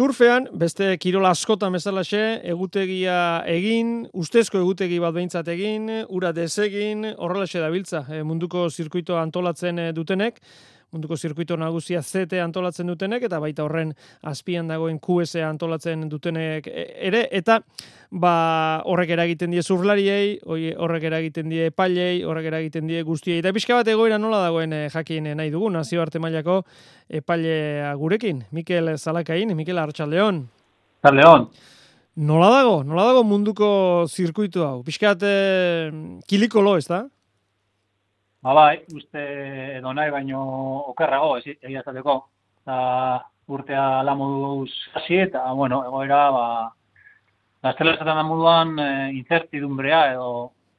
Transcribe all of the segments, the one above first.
Surfean, beste kirol askotan bezalaxe, egutegia egin, ustezko egutegi bat behintzat egin, ura desegin, horrelaxe dabiltza, munduko zirkuitoa antolatzen dutenek, munduko zirkuito nagusia ZT antolatzen dutenek, eta baita horren azpian dagoen QS antolatzen dutenek ere, eta horrek eragiten die surflariei, horrek eragiten die epailei, horrek eragiten die guztiei, eta pixka bat egoera nola dagoen jakin nahi dugu, nazioarte mailako epailea gurekin, Mikel Zalakain, Mikel Arratsaldeon. Arratsaldeon. Nola dago munduko zirkuito hau? Pixkat kilikolo, ez da? Bai, uste edo nahi baino okerrago, egia esateko. Urtea la moduz hasi eta, egoera, gaztela esaten da moduan incertidumbrea edo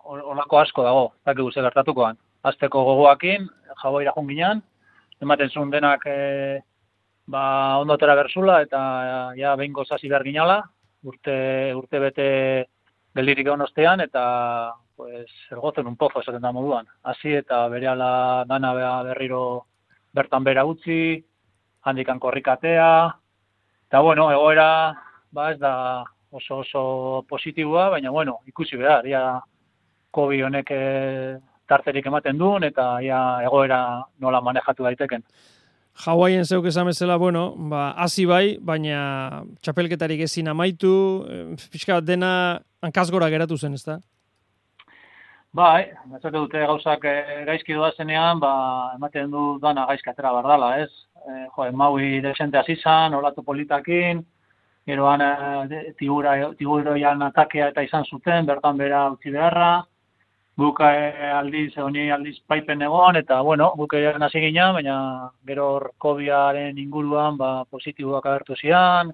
olako asko dago, ez dakigu ze gertatukoan. Hasteko gogoakin, Hawaiira joan ginen, ematen zuen denak ondotera berzula eta ja behingoz hasi behar ginala, urte bete geldirik egon ostean eta ergotzen un pozo esaten da moduan. Hasi eta berehala dana berriro bertan bera utzi, handikan korrikatea, eta egoera ez da oso positiboa, baina ikusi behar, ja COVID honek tarterik ematen duen eta ja egoera nola manejatu daiteken. Hawaien zeuk esan bezala, hasi bai, baina txapelketarik ezin amaitu, pixka bat dena hankazgora geratu zen, ez da? Bai, batzate dute gauzak gaizki doazenean, ematen du dana gaizki atera bardala, ez? Maui desente hasi zan, olatu politakin, geroan tiburoian atakea eta izan zuten, bertan bera utzi beharra, guk aldiz paipen egon, eta guk egin hasi ginen, baina gero COVID-aren inguruan positiboak agertu zian,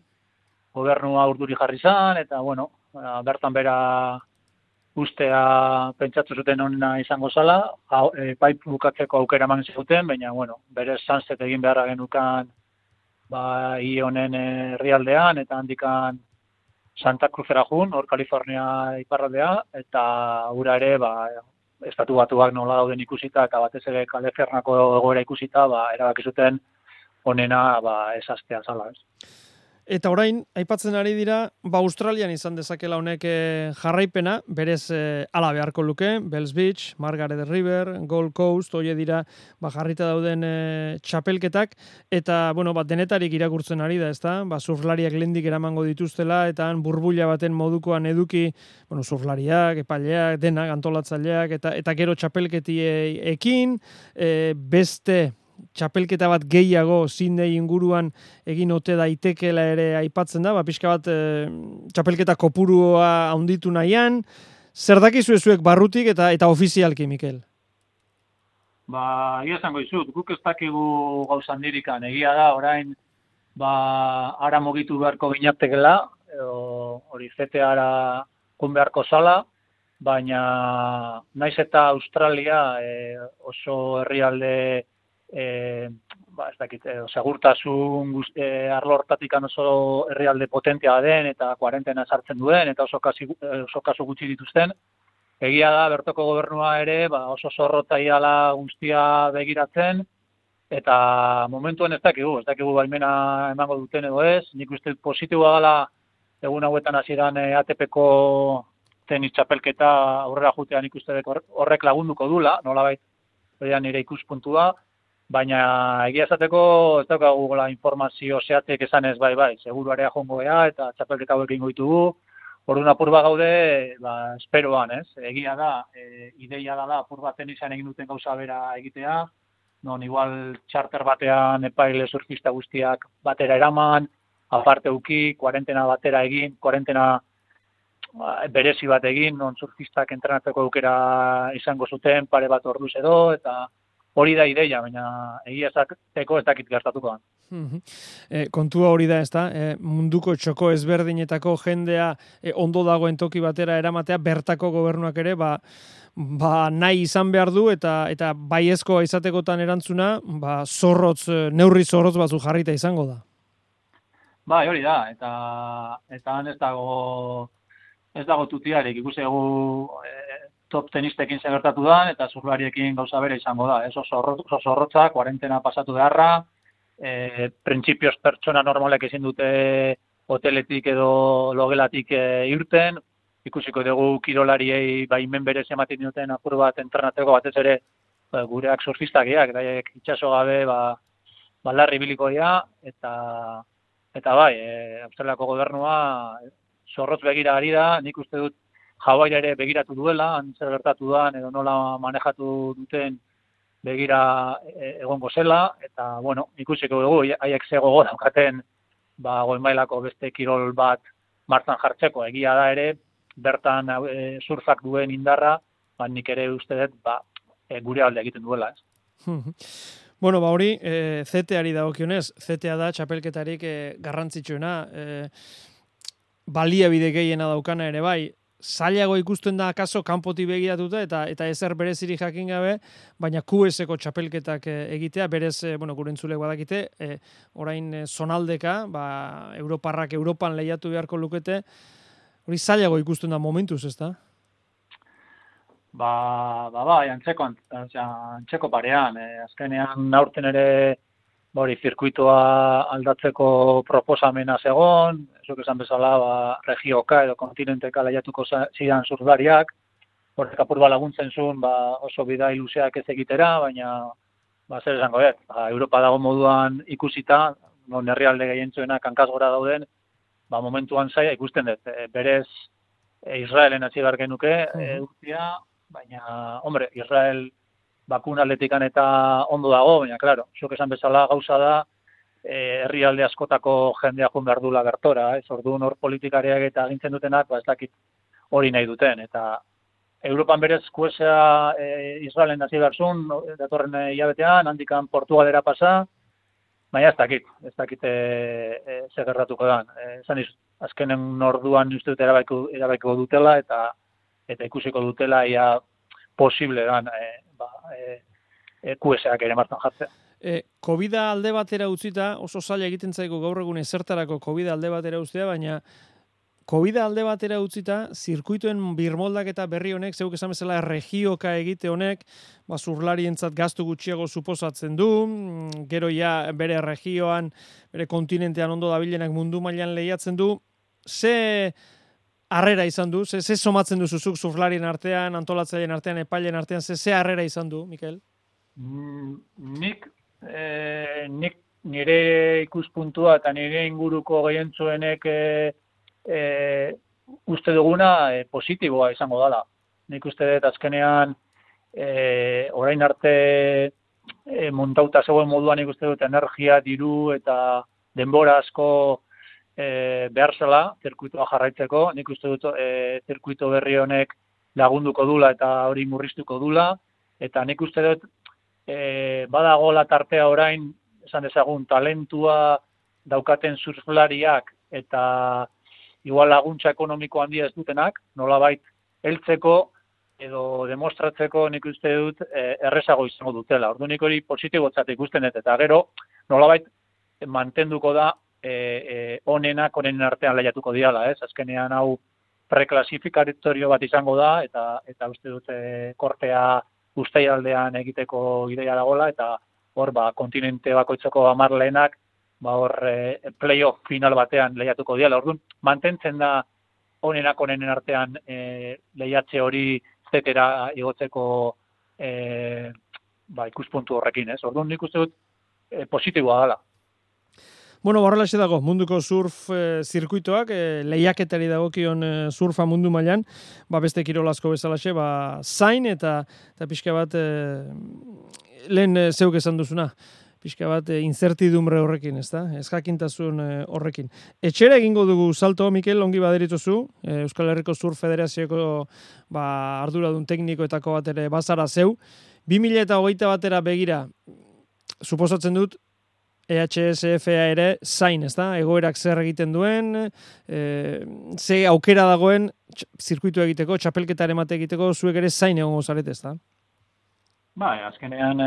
gobernua urduri jarri zan, eta bertan bera ustea pentsatu zuten onena izango zala, paip bukatzeko aukera eman zuten, baina, berez sunset egin beharra genukan honen herrialdean, eta handikan Santa Cruzera jun, hor Kalifornia iparraldea, eta ura ere, estatu batuak nola dauden ikusita, eta batez ere Kaliforniako egoera ikusita, erabaki zuten onena ez hastea zala, ez. Eta orain, aipatzen ari dira, Australian izan dezakela honek jarraipena, berez ala beharko luke, Bells Beach, Margaret River, Gold Coast, hori dira jarrita dauden txapelketak, eta denetarik irakurtzen ari da, ezta? Surflariak lehendik eramango dituztela, eta burbuila baten modukoan eduki, surflariak, epaileak, denak, antolatzaileak, eta gero txapelketiekin, beste txapelketa bat gehiago Sydney inguruan egin ote daitekela ere aipatzen da, pixka bat txapelketa kopurua handitu nahian. Zer dakizu zuek barrutik eta ofizialki, Mikel? Egia esango dizut, guk ez dakigu gauza handirikan. Egia da, orain, ara mugitu beharko ginatekela, hori ZT-ara kun beharko zala, baina naiz eta Australia oso herrialde segurtasun arlo hortatik oso herrialde potentea den eta kuarentena sartzen duen eta oso kasu gutxi dituzten. Egia da, bertoko gobernua ere oso zorrotzaiala guztia begiratzen eta momentuan ez dakigu baimena emango duten edo ez. Nik uste positiboa dela egun hauetan hasieran ATP-ko tenis txapelketa aurrera jutean ikuste horrek lagunduko dula, nolabait nire ikuspuntua. Baina egia esateko ez daukagu informazio zehatzek esan ez bai, seguruarea jongo ea eta txapelketa hauek ingo ditugu. Orduan apur bat gaude, esperoan, ez? Egia da, ideia da apur bat tenisan egin duten gauza bera egitea, non igual charter batean epaile surfista guztiak batera eraman, aparte uki, kuarentena batera egin, kuarentena berezi bat egin, non surfistak entrenatzeko aukera izango zuten, pare bat orduz edo, eta hori da ideia, baina egia esateko ez dakit gertatuko. Kontua hori da, ezta? Munduko txoko ezberdinetako jendea ondo dagoen toki batera eramatea, bertako gobernuak ere, nahi izan behar du, eta baiezkoa izatekotan erantzuna, neurri zorrotz batzu jarrita izango da. Hori da, eta han ez dago tutiarik, ikusegu top tenistekin gertatu da, eta surflariekin gauza bere izango da. Oso zorrotza, kuarentena pasatu beharra, printzipioz pertsona normalek ezin dute hoteletik edo logelatik irten, ikusiko dugu kirolariei baimen berez ematen duten apur bat entrenatzeko batez ere gureak surfistak daiek itxaso gabe larri biliko dira, eta bai, Australiako gobernua zorrotz begira ari da, nik uste dut Hawaii ere begiratu duela, zer gertatu da, edo nola manejatu duten begira egongo zela, eta, bueno, ikusiko dugu, haiek ze gogo daukaten, goi mailako beste kirol bat martzan jartzeko, egia da ere, bertan surfak duen indarra, nik ere uste dut, gure alde egiten duela, ez. Bueno, hori, CTA-ari dagokionez, CTA da txapelketarik garrantzitsuena, baliabide gehiena daukana ere bai, zailago ikusten da akaso kanpotik begiratuta eta ezer berezirik jakin gabe, baina QS-eko txapelketak egitea, berez, gure entzulek badakite, orain zonaldeka, Europarrak Europan lehiatu beharko lukete, hori zailago ikusten da momentuz, ez da? Antzeko parean. Azkenean aurten ere zirkuitoa aldatzeko proposamena zegon, zuk esan bezala regioka edo kontinenteka lehiatuko zidan surflariak, horrek apur laguntzen zuen oso bidai luzeak ez egitera, baina zer esango dut, Europa dago moduan ikusita, herrialde gehientzuenak hankaz gora dauden, momentuan zaila ikusten dut. Berez Israelen hasi behar genuke urtia, baina, Israel bakun atletikan eta ondo dago, baina, klaro, zuk esan bezala gauza da, herrialde askotako jendea joan behar dula bertora, orduan hor politikariak eta agintzen dutenak, ez dakit hori nahi duten, eta Europan berez kuesea Israelen hasi behar zuen, datorren hilabetean, handikan Portugalera pasa, baina ez dakit zer gertatuko da. Azkenen orduan uste dut erabaiko dutela, eta ikusiko dutela ia posible dan QS-ak ere martan jartzea. COVID-a alde batera utzita, oso zaila egiten zaigu gaur egun ezertarako COVID-a alde batera uztea, baina COVID-a alde batera utzita, zirkuituen birmoldak eta berri honek, zeuk esan bezala regioka egite honek, zurlarientzat gastu gutxiago suposatzen du, gero ja bere regioan, bere kontinentean ondo dabilenak mundu mailan lehiatzen du, ze harrera izan du, ze somatzen duzuzuk surflarien artean, antolatzaileen artean, epaileen artean, ze harrera izan du, Mikel? Nik nire ikuspuntua eta nire inguruko gehientzuenek uste duguna positiboa izango dela. Nik uste dut azkenean orain arte montauta zegoen moduan nik uste dut energia, diru eta denbora asko behar zela zirkuitoa jarraitzeko. Nik uste dut zirkuito berri honek lagunduko dula eta hori murriztuko dula. Eta nik uste dut badagoela tartea orain, esan dezagun, talentua daukaten surflariak eta igual laguntza ekonomiko handia ez dutenak, nolabait heltzeko edo demostratzeko nik uste dut errezago izango dutela. Orduan nik hori positibotzat ikusten dut, eta gero nolabait mantenduko da onenen artean lehiatuko diala, ez? Azkenean hau preklasifikatorio bat izango da, eta uste dut kortea uztaialdean egiteko ideia dagoela, eta hor kontinente bakoitzeko 10 lehenak playoff final batean lehiatuko diala. Orduan, mantentzen da onenen artean lehiatze hori zetera igotzeko ikuspuntu horrekin, ez? Orduan, nik uste dut positiboa dela. Bueno, horrelaxe dago, munduko surf zirkuitoak, lehiaketari dagokion surfa mundu mailan, beste kirol asko bezalaxe, zain eta pixka bat, lehen zeuk esan duzuna, pixka bat incertidumbre horrekin, ez da? Ezjakintasun horrekin. Etxera egingo dugu salto, Mikel, ongi baderituzu, Euskal Herriko Surf Federazioko arduradun teknikoetako bat ere bazara zeu. 2021 batera begira, suposatzen dut, EHSFA ere zain, ez da? Egoerak zer egiten duen, ze aukera dagoen zirkuitu egiteko, txapelketa emate egiteko, zuek ere zain egongo zarete, ez da? Azkenean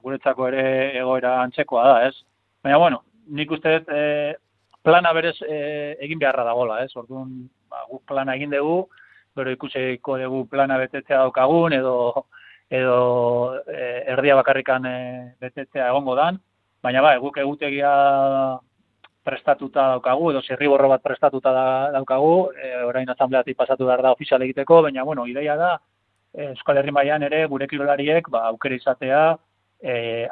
guretzako ere egoera antzekoa da, ez? Baina, bueno, nik uste dut plana berez egin beharra dagoela, ez? Orduan, guk plana egin dugu, gero ikusiko dugu plana betetzea daukagun, edo erdia bakarrikan betetzea egongo dan. baina bai, guk egutegia prestatuta daukagu, edo zirriborro bat prestatuta daukagu, orain asambleatik pasatu behar da ofizial egiteko, baina, bueno, ideia da, Euskal Herri mailan ere gure kirolariek aukera izatea,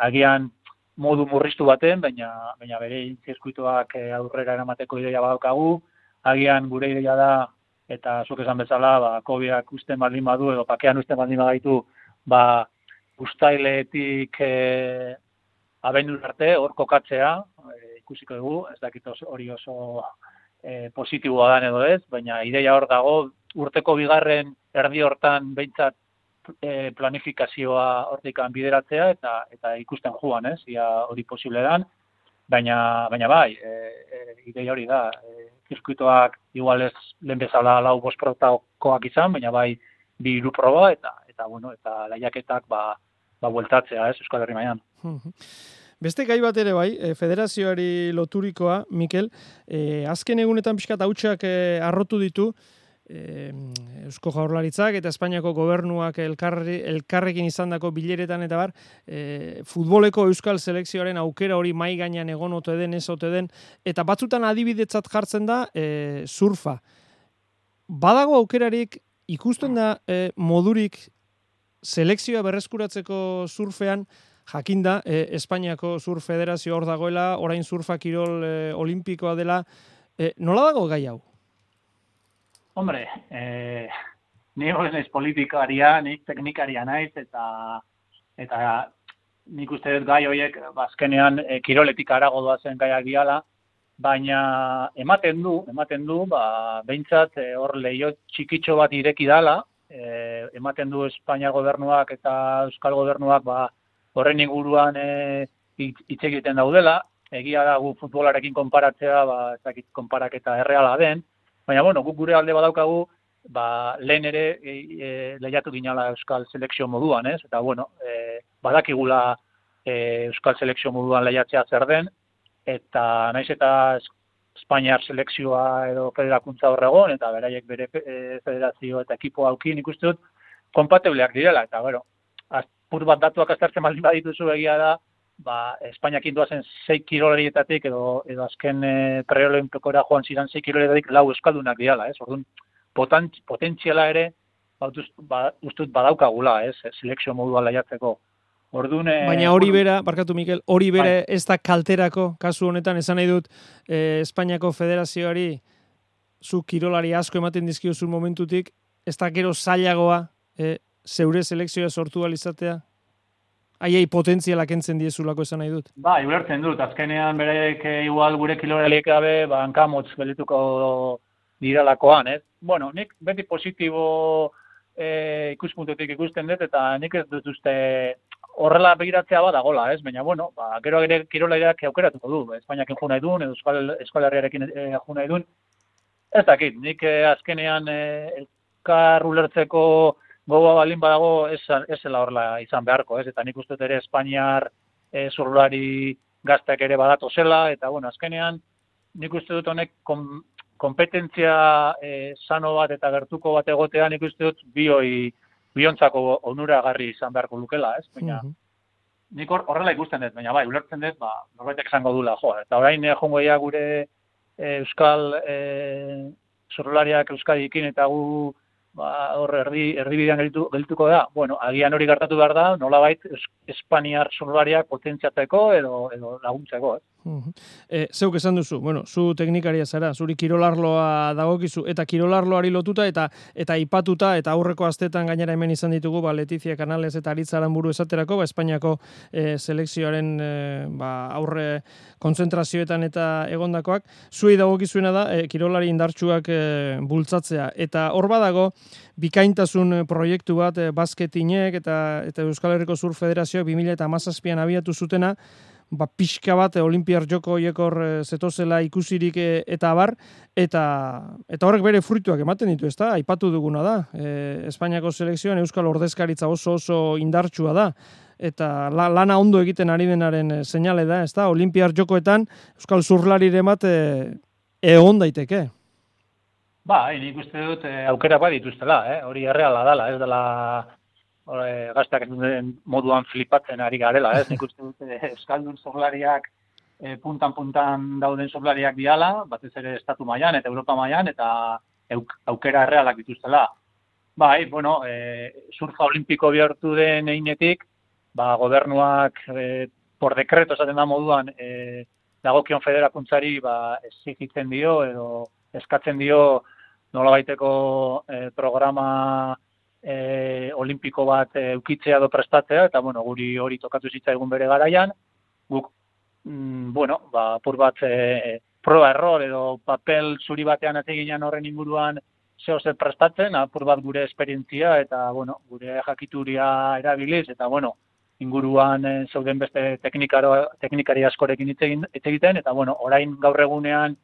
agian modu murriztu baten, baina bere zirkuituak aurrera eramateko ideia badaukagu, agian gure ideia da, eta zuk esan bezala, COVID-ak usten baldin badu, edo pakean usten baldin badaitu, uztailetik abendu arte, hor kokatzea, ikusiko dugu, ez dakit hori oso positiboa dan edo ez, baina ideia hor dago, urteko bigarren erdi hortan behintzat planifikazioa hortikan bideratzea eta ikusten joan, ez, ia hori posible dan, baina bai, ideia hori da, zirkuitoak igual ez lehen bezala 4-5 protakoak izan, baina bai 2-3 proba eta lehiaketak bueltatzea, ez, Euskal Herri mailan. Beste gai bat ere bai, federazioari loturikoa, Mikel, azken egunetan pixkat hautsak arrotu ditu, Eusko Jaurlaritzak eta Espainiako gobernuak elkarrekin izandako bileretan eta bar, futboleko euskal selekzioaren aukera hori mai gainean egon ote den, ez ote den, eta batzutan adibidetzat jartzen da surfa. Badago aukerarik, ikusten da modurik selekzioa berreskuratzeko surfean, jakinda, Espainiako Surf Federazio hor dagoela, orain surfa kirol olimpikoa dela, nola dago gai hau? Hombre, ni hori naiz politikaria, nik teknikaria naiz, eta nik uste dut gai horiek azkenean kiroletik harago doazen gaiak diala, baina ematen du, behintzat hor leio txikitxo bat ireki dala, ematen du Espainia gobernuak eta Euskal gobernuak horren inguruan hitz egiten daudela, egia da gu futbolarekin konparatzea, ez dakit konparaketa erreala den, baina, guk gure alde badaukagu, lehen ere lehiatu ginala Euskal Selekzio moduan, ez? Eta, badakigula Euskal Selekzio moduan lehiatzea zer den, eta naiz eta Espainiar selekzioa edo federakuntza horregon, eta beraiek bere federazio eta ekipo aukin ikusten dut, kompatibleak direla, eta, pur bat datuak aztertzen baldin badituzu egia da, Espainiak indoazen 6 kirolarietatik edo azken preolimpikora joan ziren 6 kirolarietatik 4 euskaldunak diala, ez? Orduan, potentziala ere, ustut badaukagula, ez? Selekzio moduan lehiatzeko. Orduan, baina hori bera, barkatu Mikel, hori bera ez da kalterako, kasu honetan, esan nahi dut, Espainiako Federazioari zu kirolari asko ematen dizkiozun momentutik, ez da gero zailagoa zeure selekzioa sortu alizatea? Aiei potentziala kentzen diezulako esan nahi dut. Ulertzen dut. Azkenean beraiek igual gure kiloraliek gabe hankamotz geldituko diralakoan, ez? Nik beti positibo ikuspuntutik ikusten dut, eta nik ez dut uste horrela begiratzea badagola, ez? Baina, gero ere kirolariak aukeratuko du. Espainiakin jo nahi duen, edo Euskal Herriarekin jo nahi duen. Ez dakit, nik azkenean elkar ulertzeko gogoa balin badago ez zela horrela izan beharko, ez? Eta nik uste ere Espainiar zurlari gazteak ere badatu zela, eta azkenean nik uste dut honek kompetentzia sano bat eta gertuko bat egotea nik uste dut biontzako onuragarri izan beharko lukela, ez? Baina nik horrela ikusten dut, baina ulertzen dut, norbaitek esango dula, eta orain jongo ia gure Euskal zurlariak Euskadikin eta gu hor erdibidean geldituko da. Agian hori gertatu behar da, nolabait Espainiar zurlariak potentziatzeko edo laguntzeko, ez? Zeuk esan duzu, zu teknikaria zara, zuri kirolarloa dagokizu, eta kirolarloari lotuta eta aipatuta, eta aurreko astetan gainera hemen izan ditugu, Letizia Canales eta Aritz Aranburu esaterako, Espainiako selekzioaren aurre kontzentrazioetan eta egondakoak, zuei dagokizuena da, kirolari indartsuak bultzatzea, eta hor badago, bikaintasun proiektu bat basketinek eta Euskal Herriko Surf Federazioak 2017an abiatu zutena, pixka bat Olimpiar Joko horiekor zetozela ikusirik eta abar, eta horrek bere fruituak ematen ditu, ezta? Aipatu duguna da. Espainiako selekzioan Euskal Ordezkaritza oso indartsua da, eta lana ondo egiten ari denaren seinale da, ezta? Olimpiar Jokoetan Euskal Zurlariren bat egon daiteke. Nik uste dut aukera bat dituztela, hori erreala dela, ez dela gazteak ez duten moduan flipatzen ari garela, ez? Nik uste dut euskaldun zorlariak puntan dauden zorlariak diala, batez ere estatu mailan eta Europa mailan, eta aukera errealak dituztela. Bai, bueno, surfa olimpiko bihurtu den einetik, gobernuak por dekreto esaten da moduan, dagokion federakuntzari exigitzen dio edo eskatzen dio nolabaiteko programa olimpiko bat eukitzea edo prestatzea, eta bueno, guri hori tokatu zitzaigun bere garaian, guk apur bat proba error edo papel zuri batean ateginan horren inguruan zeo zer prestatzen, apur bat gure esperientzia eta bueno, gure jakituria erabiliz, eta bueno, inguruan zeuden beste teknikari askorekin hitz egiten, eta bueno, orain gaur egunean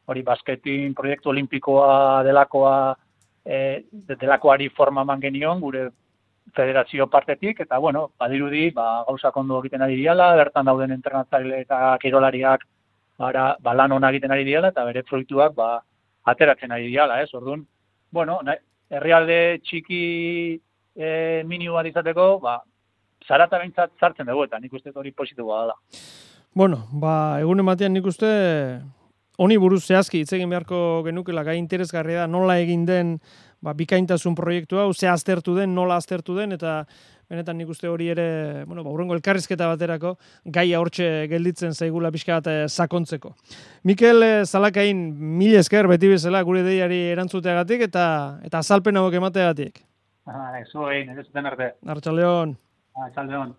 hori basketin proiektu olimpikoa delakoari forma eman genion gure federazio partetik, eta bueno, badirudi gauzak ondo egiten ari diala, bertan dauden entrenatzaile eta kirolariak lan ona egiten ari diala, eta bere fruituak ateratzen ari diala, ez? Orduan, bueno, herrialde txiki minimo bat izateko, zarata behintzat sartzen dugu, eta nik uste hori positiboa dela. Bueno, egunen batean nik uste honi buruz zehazki hitz egin beharko genukela, gai interesgarria da, nola egin den bikaintasun proiektu hau, ze aztertu den, nola aztertu den, eta benetan nik uste hori ere, hurrengo elkarrizketa baterako, gaia hortxe gelditzen zaigula pixka bat sakontzeko. Mikel Zalakain, mil esker beti bezala gure deiari erantzuteagatik eta azalpen hauek emateagatik. Zuei, nire zuten arte. Arratsaldeon. Arratsaldeon.